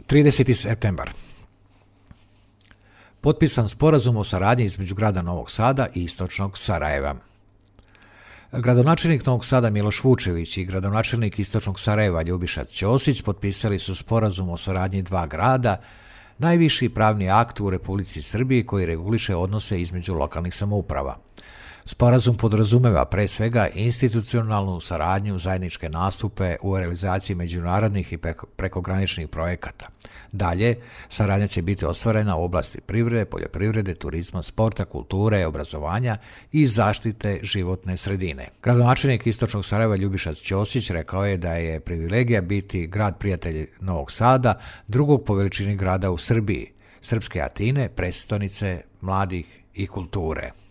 30. septembar. Potpisan sporazum o saradnji između grada Novog Sada i istočnog Sarajeva. Gradonačelnik Novog Sada Miloš Vučević i gradonačelnik istočnog Sarajeva Ljubiša Ćosić potpisali su sporazum o saradnji dva grada, najviši pravni akt u Republici Srbiji koji reguliše odnose između lokalnih samouprava. Sporazum podrazumeva pre svega institucionalnu saradnju, zajedničke nastupe u realizaciji međunarodnih i prekograničnih projekata. Dalje, saradnja će biti ostvarena u oblasti privrede, poljoprivrede, turizma, sporta, kulture, obrazovanja i zaštite životne sredine. Gradonačelnik istočnog Sarajeva Ljubiša Ćosić rekao je da je privilegija biti grad prijatelj Novog Sada, drugog po veličini grada u Srbiji, srpske Atine, prestonice mladih i kulture.